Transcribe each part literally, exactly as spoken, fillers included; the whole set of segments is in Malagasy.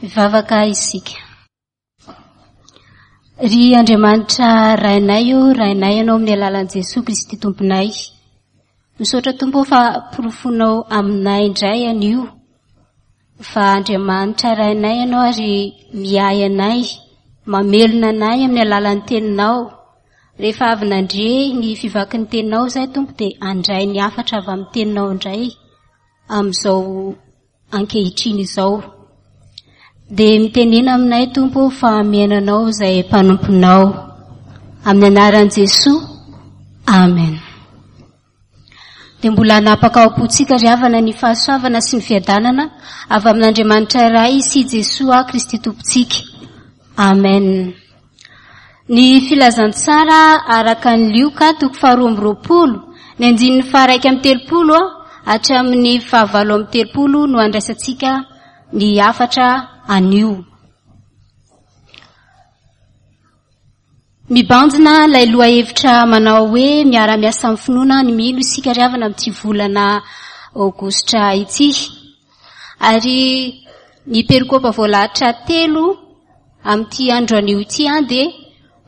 Mivavaka isika. Ry Andriamanitra Rainay o, Rainay ianao amin'ny alalan'i Jesoa Kristy Tomponay. Misaotra Tompo fa porofonao aminay indray anio fa Andriamanitra Rainay ianao ary miahy anay, mamelona anay amin'ny alalan'ny teninao. Rehefa avy nandre ny fivakin'ny teninao izahay Tompo dia handray ny hafatra avy amin'ny teninao indray amin'izao ankehitriny izao. Dia mitenena aminay Tompo fa mihaino anao izay mpanomponao. Amin'ny anaran'i Jesoa, amen. Dia mbola hanapaka ao am-pontsika ry havana ny fahasoavana sy ny fiadanana avy amin'Andriamanitra Ray sy Jesoa Kristy Tompontsika. Amen. Ny filazantsara araka ny Lioka toko faharoa amby roapolo, ny andininy faharaika amby telopolo hatramin'ny fahavalo amby telopolo no andraisantsika ny hafatra anio. Mibanjina ilay lohahevitra manao hoe miara-miasa amin'ny finoana ny mino isika ry havana amin'ity volana aogositra ity. Ary ny perikopa voalahatra telo amin'ity andro anio ity an dia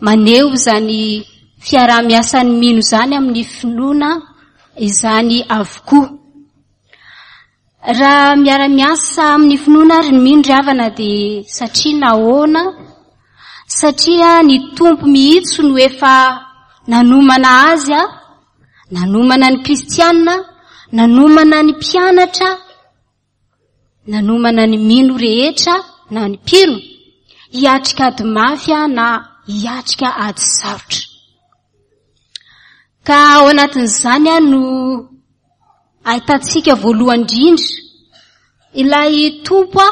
maneho izany fiaraha-miasan'ny mino izany amin'ny finoana izany avokoa. Raha miara-miasa amin'ny finoana ary ny mino ry havana dia satria nahoana? Satria ny Tompo mihitsy no efa nanomana azy, nanomana ny kristianina, nanomana ny mpianatra, nanomana ny mino rehetra na ny mpino hiatrika ady mafy na hiatrika ady sarotra. Ka ao anatin'izany no ahitantsika voalohany indrindra ilay Tompo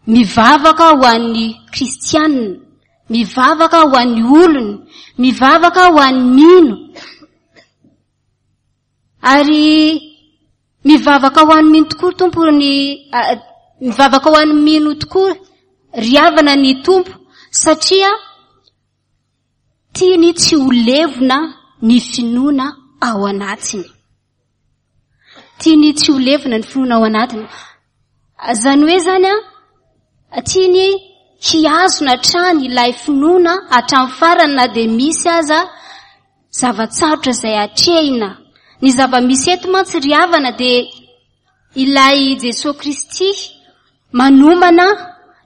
mivavaka ho an'ny kristianina, mivavaka ho an'ny olony, mivavaka ho an'ny mino. Ary mivavaka ho an'ny mino tokoa Tompo ny, mivavaka ho an'ny mino tokoa ry havana ny Tompo, satria tiany tsy ho levona ny finoana ao anatiny. Tiany tsy ho levona ny finoana ao anatiny. Izany hoe zany a, tiany hihazona hatrany ilay finoana hatramin'ny farany na dia misy aza zava-tsarotra izay atrehina. Ny zava-misy eto mantsy ry havana dia ilay Jesoa Kristy manomana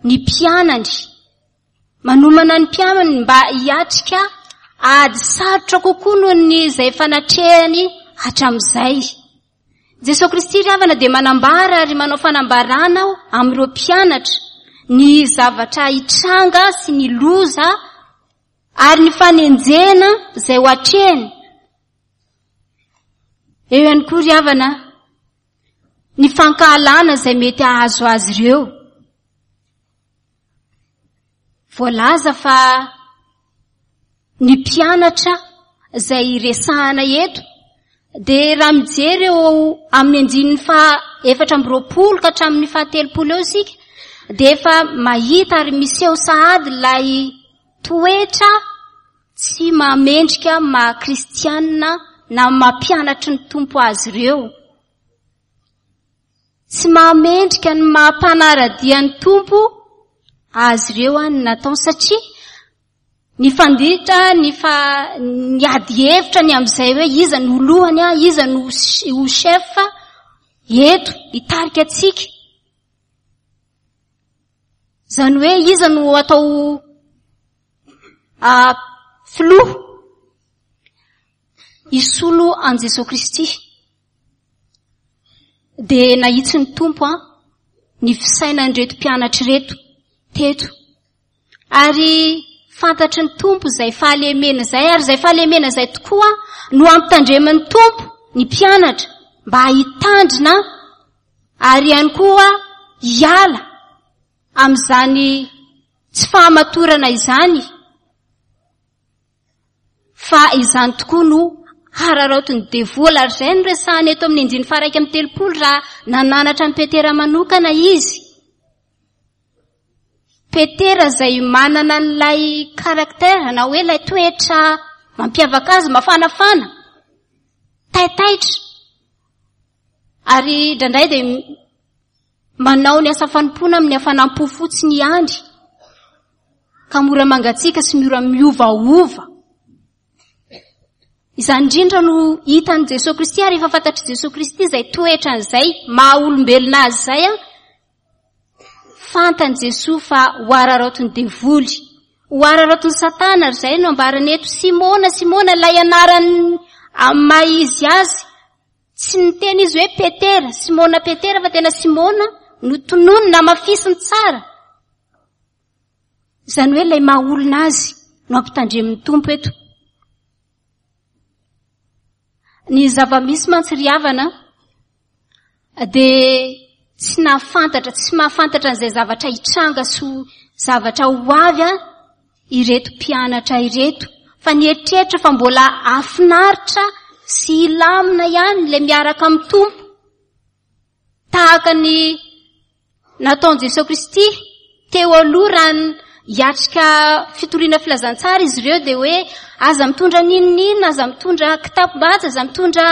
ny mpianany. Manomana ny mpianany mba hiatrika ady sarotra kokoa noho ny izay efa natrehany hatramin'izay. Jesoa Kristy ry havana dia manambara ary manao fanambarana amin'ireo mpianatra ny zavatra hitranga sy ny loza ary ny fanenjehana izay ho atrehiny. Eo ihany koa ry havana ny fankahalana izay mety hahazo azy ireo. Voalaza fa ny mpianatra izay resahana eto dia raha mijery eo amin'ny andininy faha efatra amby roapolo ka hatramin'ny faha telopolo eo isika dia efa mahita ary miseho sahady ilay toetra tsy mahamendrika maha kristianina na mampianatry ny Tompo azy ireo. Tsy mahamendrika ny maha mpanara-dia ny Tompo azy ireo ny nataony, satria nifanditra ny fa ny ady hevitra ny amin'izay hoe iza no lohany, iza no ho chef eto hitarika antsika. Izany hoe iza no atao filoha hisolo an'i Jesoa Kristy. Dia nahitsy ny Tompo a ny fisainan'ireto mpianatra ireto teto. Ary fantatry ny Tompo izay fahalemena izay, ary izay fahalemena izay tokoa no ampitandreman'ny Tompo ny mpianatra mba hitandrina ary ihany koa hiala amin'izany tsy fahamatorana izany, fa izany tokoa no hararaotin'ny devoly. Ary izay no resahana eto amin'ny andininy faha-iraika amby telopolo raha nananatra an'i Petera manokana izy. Petera izay manana an'ilay caractère na hoe ilay toetra mampiavaka azy, mafanafana, taitaitra, ary indraindray dia Manao ny asa fanompoana amin'ny hafanam-po fotsiny ihany, ka mora mangatsiaka sy mora miovaova. Izany indrindra no hitan'i Jesoa Kristy, ary efa fantatr'i Jesoa Kristy izay toetran'izay maha olombelona azy izay. A fantan'i Jesoa fa ho araraotin'ny devoly, ho araraotin'ny Satana, ary izay no ambarany eto. Simona, Simona, ilay anarany amin'ny maha izy azy. Tsy niteny izy hoe Petera, Simona Petera, fa tena Simona no tononina, namafisiny tsara. Izany hoe ilay maha olona azy no ampitandremin'ny Tompo eto. Ny zava-misy mantsy ry havana dia tsy nahafantatra, tsy mahafantatra an'izay zavatra hitranga sy ho zavatra ho avy a ireto mpianatra ireto, fa nieritreritra fa mbola hahafinaritra sy hilamina ihany ilay miaraka amin'ny Tompo, tahaka ny nataon'i Jesoa Kristy teo aloha raha hiatrika fitoriana filazantsara izy ireo, dia hoe aza mitondra n'inon'inona, aza mitondra kitapom-batsy, aza mitondra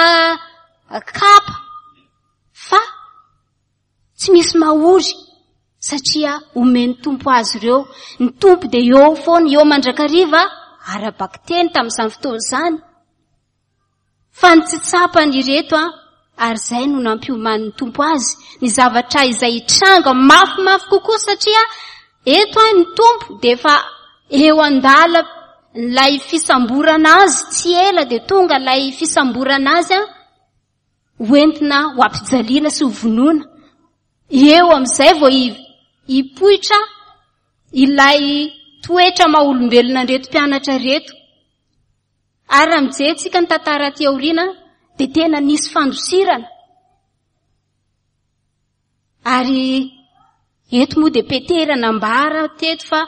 kapa, fa tsy misy mahory satria omen'ny Tompo azy ireo. Ny Tompo dia eo foana, eo mandrakariva, ara-bakiteny tamin'izany fotoana izany. Fa ny tsy tsapany ireto a, ary izay no nampiomanin'ny Tompo azy, ny zavatra izay hitranga mafimafy kokoa, satria eto a ny Tompo dia efa eo an-dala ilay fisamborana azy, tsy ela dia tonga ilay fisamborana azy a, hoentina ho ampijaliana sy ho vonoina. Eo amin'izay vao hipoitra ilay toetra maha olombelona an'ireto mpianatra ireto. Ary raha mijery tsika ny tantara aty aoriana dia tena nisy fandosirana. Ary eto moa dia Petera nambara teto fa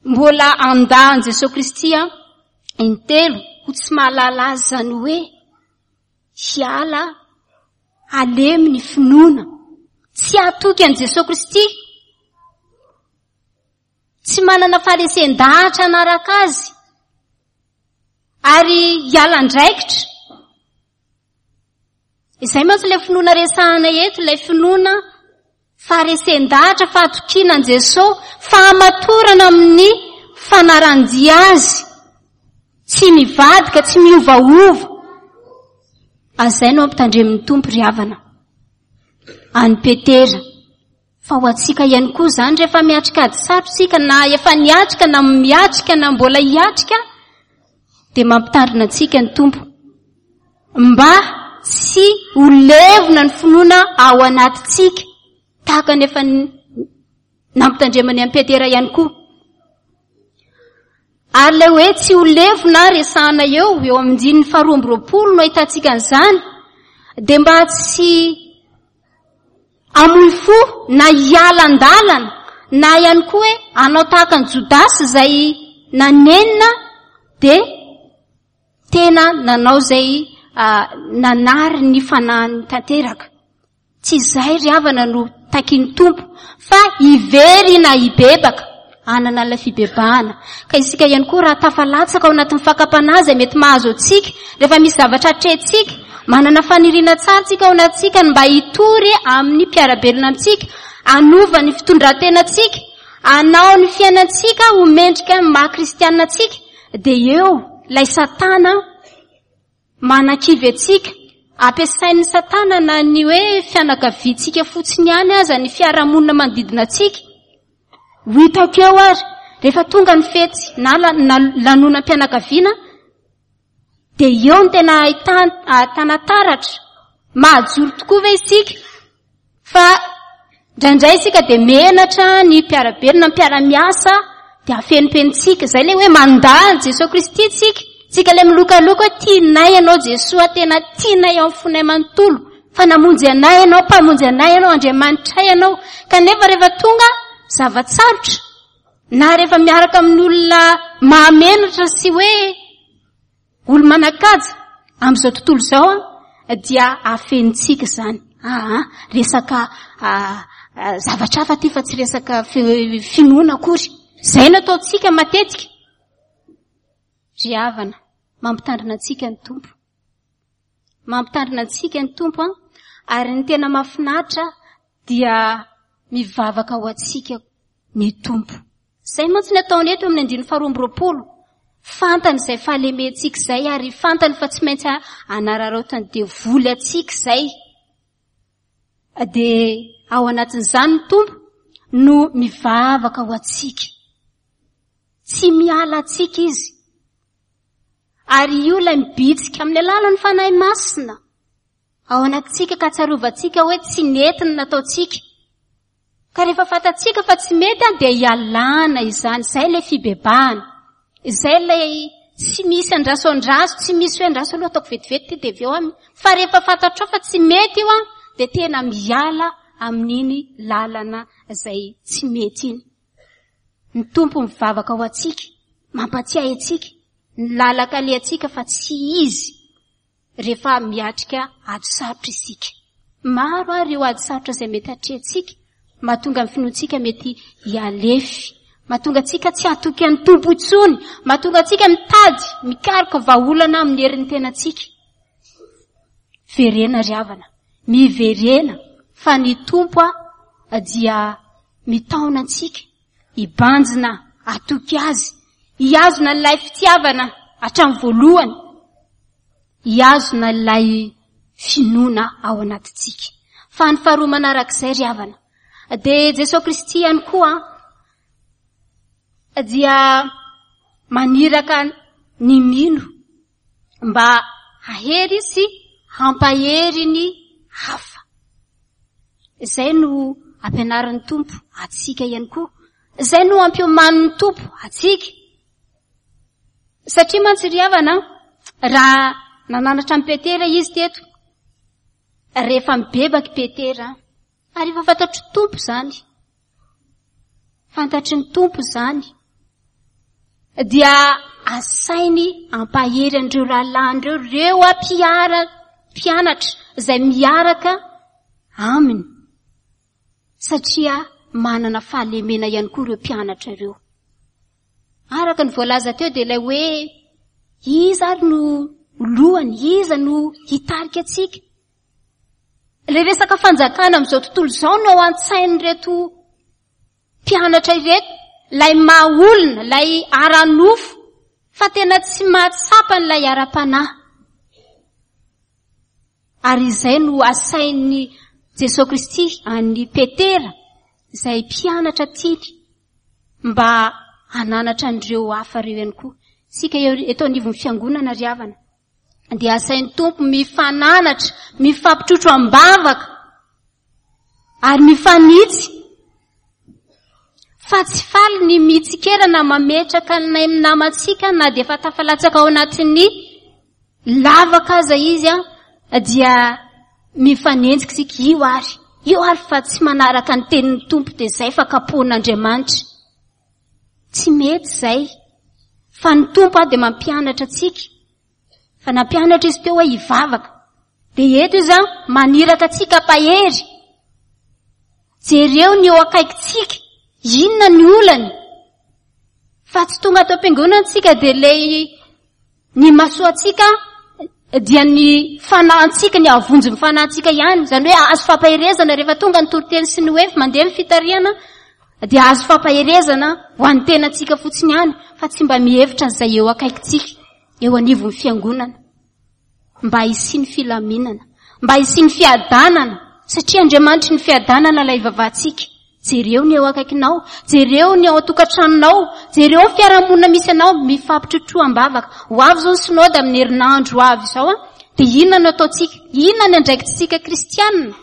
mbola handà an'i Jesoa Kristy a intelo, ho tsy mahalala azy, izany hoe hiala halemy ny finoana, tsy hatoky an'i Jesoa Kristy, tsy manana faharesen-dahatra hanaraka azy, ary hiala andraikitra. Izay mantsy ilay finoana resahana eto, ilay finoana faharesen-dahatra, fahatokiana an'i Jesoa, fahamatorana amin'ny fanaran-dia azy, tsy mivadika, tsy miovaova. Azay no ampitandremin'ny Tompo ry havana an'i Petera. Fa ho antsika ihany koa izany, rehefa miatrika ady sarotra isika, na efa niatrika, na miatrika, na mbola hiatrika, dia mampitandrina antsika ny Tompo mba tsy ho levona ny finoana ao anatintsika, tahaka ny efa nampitandremany an'i Petera ihany koa. Ary ilay hoe tsy ho levona resahana eo, eo amin'ny andininy faharoa amby roapolo no ahitantsika an'izany, dia mba tsy hamoy fo na hiala an-dalana, na ihany koa hoe hanao tahaka an'i Jodasy izay nanenina dia tena nanao izay nanary ny fanahiny tanteraka. Tsy izay ry havana no takin'ny Tompo, fa hiverina hibebaka, hanana ilay fibebahana. Ka isika ihany koa raha tafalatsaka ao anatin'ny fakam-panahy izay mety mahazo antsika, rehefa misy zavatra atrehintsika, manana faniriana tsara tsika ao anatintsika ny mba hitory amin'ny mpiara-belona amintsika, hanova ny fitondran-tenantsika, hanao ny fiainantsika ho mendrika ny maha kristianina antsika, dia eo ilay Satana manakivy antsika. Ampiasain'ny Satana na ny hoe fianakaviantsika fotsiny ihany aza, ny fiarahamonina manodidina antsika. Ho hitako eo ary, rehefa tonga ny fety na lanonam-pianakaviana, dia eo ny tena ahitana taratra. Mahajoro tokoa ve isika? Fa indraindray isika dia menatra ny mpiara-belona, ny mpiara-miasa, dia afenimpenitsika. Izay ilay hoe mandà an'i Jesoa Kristy tsika. Tsika ilay milokaloka hoe tianay ianao Jesoa, tena tianay ao amin'ny fonay manontolo, fa namonjy anay ianao, mpamonjy anay ianao, Andriamanitray ianao. Kanefa rehefa tonga zava-tsarotra, na rehefa miaraka amin'ny olona mahamenatra sy hoe olo manan-kaja amin'izao tontolo izao, dia afenitsika izany. Aa, resaka zavatra hafa ty fa tsy resaka finoana akory. Izay no ataontsika matetika. Ry havana, mampitandrina antsika ny Tompo. Mampitandrina antsika ny Tompo, Ary ny tena mahafinaritra dia mivavaka ho antsika ny Tompo. Izay mantsy ny ataony eto amin'ny andininy faharoa amby roapolo. Fantany izay fahalementsika izay ary fantany fa tsy maintsy anararaotan'ny devoly antsika izay. Dia ao anatin'izany ny Tompo no mivavaka ho antsika. Tsy miala antsika izy. Ary io ilay mibitsika amin'ny alalan'ny Fanahy Masina ao anatintsika ka tsarovantsika hoe tsy nety ny nataontsika. Ka rehefa fantatsika fa tsy mety an, dia ialana izany. Izay ilay fibebahana. Izay ilay tsy misy andraso andraso, tsy misy hoe andraso aloha ataoko vetivety ity dia avy eo aminy. Fa rehefa fantatrao fa tsy mety io an, dia tena miala amin'iny lalana izay tsy mety iny. Ny Tompo mivavaka ho antsika, mampatsiahy antsika, ny lalaka alehantsika fa tsy izy rehefa miatrika ady sarotra isika. Maro ary ireo ady sarotra izay mety atrehantsika, mahatonga ny finoantsika mety hialefy, mahatonga antsika tsy hatoky an'ny Tompo intsony, mahatonga antsika mitady, mikaroka vahaolana amin'ny herin'ny tenantsika. Verena ry havana, miverena fa ny Tompo a dia mitaona antsika hibanjina, hatoky azy, hihazona ilay fitiavana hatramin'ny voalohany, hihazona ilay finoana ao anatintsika. Fa ny faharoa manarak'izay ry havana, dia Jesosy Kristy ihany koa dia maniraka ny mino mba hahery sy hampahery ny hafa. Izay no ampianarin'ny Tompo antsika ihany koa. Izay no ampiomanin'ny Tompo antsika. Satria mantsy ry havana, raha nananatra an'i Petera izy teto, rehefa mibebaky Petera, ary efa fantatry ny Tompo izany, fantatry ny Tompo izany, dia asainy ampahery an'ireo rahalahiny ireo, ireo mpiara, mpianatra izay miaraka aminy, satria manana fahalemena ihany koa ireo mpianatra ireo. Araka ny voalaza teo dia ilay hoe iza ary no lohany, iza no hitarika antsika. Ilay resaka fanjakana amin'izao tontolo izao no ao an-tsain'ireto mpianatra ireto, ilay maha olona, ilay ara-nofo, fa tena tsy mahatsapa an'ilay ara-panahy. Ary izay no asain'i Jesosy Kristy an'i Petera, izay mpianatra tiany, mba hananatra an'ireo hafa ireo ihany koa. Isika eto anivon'ny fiangonana ry havana, dia asain'ny Tompo mifananatra, mifampitrotro am-bavaka, ary mifanitsy. Fa tsy faly ny mitsikera na mametraka ny namantsika na dia efa tafalatsaka ao anatin'ny lavaka aza izy an, dia mifanenjika isika, io ary, io ary fa tsy manaraka ny tenin'ny Tompo dia izay fa kapohin'Andriamanitra. Tsy mety izay. Fa ny Tompo a dia mampianatra antsika. Fa nampianatra izy teo hoe hivavaka. Dia eto izy an, maniraka antsika hampahery. Jereo ny eo akaikintsika, inona ny olany. Fa tsy tonga ato am-piangonana antsika dia ilay ny masoantsika dia ny fanahintsika, ny havonjy ny fanahintsika ihany. Izany hoe azo fampaherezana rehefa tonga ny toriteny sy ny hoe mandeha ny fitarihana, dia azo fampaherezana ho an'ny tenantsika fotsiny ihany, fa tsy mba mihevitra an'izay eo akaikintsika, eo anivon'ny fiangonana. Mba hisian'ny filaminana, mba hisian'ny fiadanana, satria Andriamanitry ny fiadanana ilay ivavahantsika. Jereo ny eo akaikinao, jereo ny ao an-tokantranonao, jereo ny fiarahamonina misy anao, mifampitrotroa am-bavaka. Ho avy izao ny synoda amin'ny herinandro ho avy izao an, dia inona no ataontsika? Inona ny andraikitsika kristianina?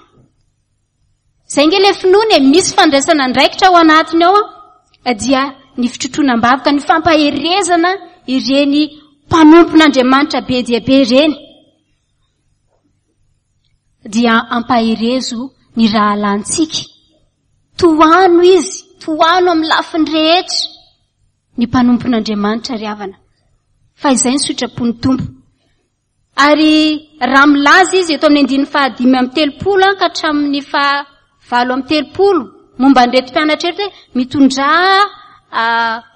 Izay ange ilay finoana e, misy fandraisana andraikitra ao anatiny ao an, dia ny fitrotroana am-bavaka, ny fampaherezana ireny mpanompon'Andriamanitra be dia be ireny. Dia ampaherezo ny rahalahintsika. Tohano izy, tohano amin'ny lafiny rehetra ny mpanompon'Andriamanitra ry havana. Fa izay ny sitrapon'ny Tompo. Ary raha milaza izy eto amin'ny andininy fahadimy amby telopolo ka hatramin'ny fahavalo amby telopolo momba an'ireto mpianatra ireto hoe mitondrà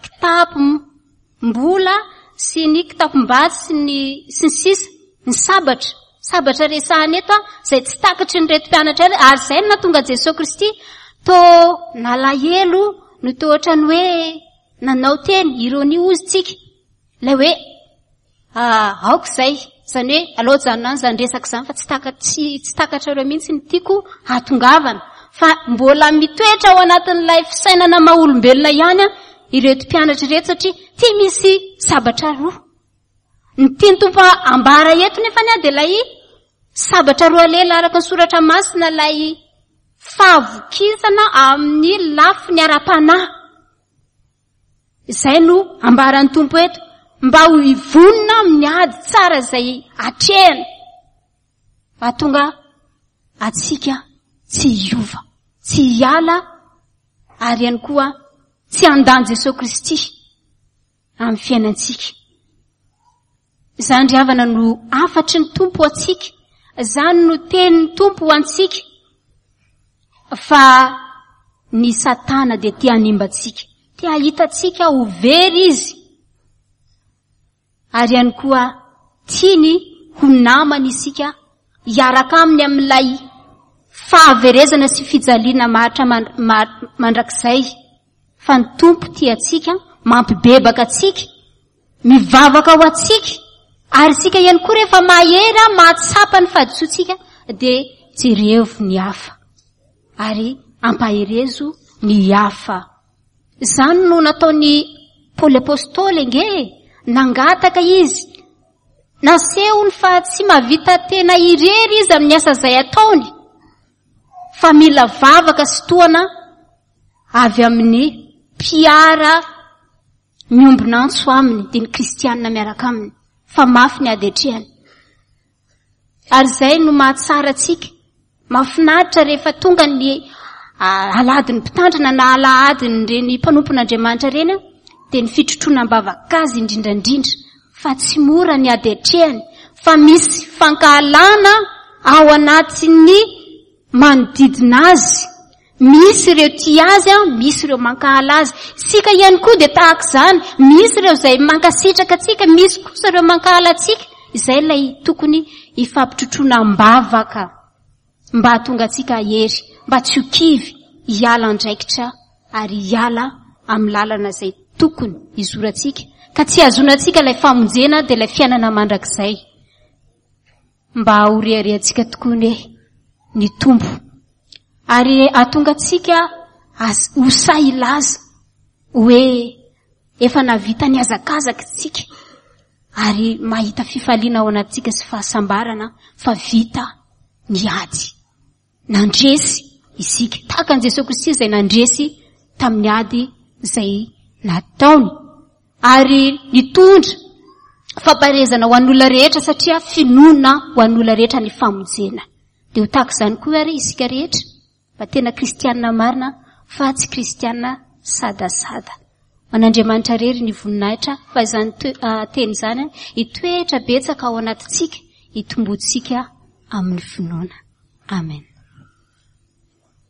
kitapom-bola sy ny kitapom-batsy sy ny sy ny sisa, ny sabatra, Sabatra resahana eto a, izay tsy takatry ny reto mpianatra ary, ary izay no nahatonga Jesoa Kristy to nalahelo no to ohatrany hoe nanao teny ironia hozy tsika. Ilay hoe aoka izay, izany hoe aleo ajanona any izany resaka izany fa tsy taka-, tsy, tsy takatrareo mihitsy ny tiako hahatongavana. Fa mbola mitoetra ao anatin'ilay fisainana maha olombelona ihany ireto mpianatra ireto satria tia misy sabatra roa. Ny tian'ny Tompo ambara eto nefa ny dia ilay sabatra roa lela araka ny soratra masina, ilay fahavokisana amin'ny lafiny ara-panahy. Izay no ambaran'ny Tompo eto, mba ho hivonona amin'ny ady tsara izay atrehana, hahatonga antsika tsy hiova, tsy hiala, ary ihany koa tsy handany Jesoa Kristy amin'ny fiainantsika. Izany ry havana no hafatry ny Tompo ho antsika, izany no tenin'ny Tompo ho antsika, fa ny Satana dia tia hanimba antsika, tia hahita antsika ho very izy, ary ihany koa tiany ho namany isika, hiaraka aminy amin'ilay fahaverezana sy fijaliana maharitra man-, ma-, mandrakizay. Fa ny Tompo tia antsika, mampibebaka antsika, mivavaka ho antsika, ary isika ihany koa rehefa mahery, mahatsapa ny fahadisoantsika, dia jerevo ny hafa ary ampaherezo ny hafa. Izany no nataon'i Paoly Apostoly ange, nangataka izy, nasehony fa tsy mahavita tena irery izy amin'ny asa izay ataony, fa mila vavaka sy tohana avy amin'ny mpiara miombon'antso aminy, dia ny kristianina miaraka aminy, fa mafy ny ady atrehany. Ary izay no mahatsara antsika. Mahafinaritra rehefa tonga ny alahadin'ny mpitandrina na alahadin'ireny mpanompon'Andriamanitra ireny, dia ny fitrotroana am-bavaka azy indrindra indrindra, fa tsy mora ny ady atrehany, fa misy fankahalana ao anatin'ny manodidina azy. Misy ireo tia azy, misy ireo mankahala azy. Isika ihany koa dia tahaka izany, misy ireo izay mankasitraka antsika, misy kosa ireo mankahala antsika. Izay ilay tokony hifampitrotroana am-bavaka mba hahatonga antsika hery, mba tsy ho kivy, hiala andraikitra ary hiala amin'ny lalana izay tokony hizorantsika, ka tsy hahazoantsika ilay famonjena dia ilay fiainana mandrakizay. Mba ho reharehantsika tokoa ny ny Tompo, ary hahatonga antsika as-, ho sahy hilaza hoe efa nahavita ny hazakazaka isika, ary mahita fifaliana ao anatintsika sy fahasambarana fa vita ny ady. Nandresy isika, tahaka an'i Jesoa Kristy izay nandresy tamin'ny ady izay nataony, ary nitondra fampaherezana ho an'olona rehetra, satria finoana ho an'olona rehetra ny famonjena. Dia ho tahaka izany koa ary isika rehetra, mba tena kristianina marina fa tsy kristianina sadasada. An'Andriamanitra irery ny voninahitra, fa izany toe-, ah, teny izany hitoetra betsaka ao anatintsika, hitomboantsika amin'ny finoana. Amen.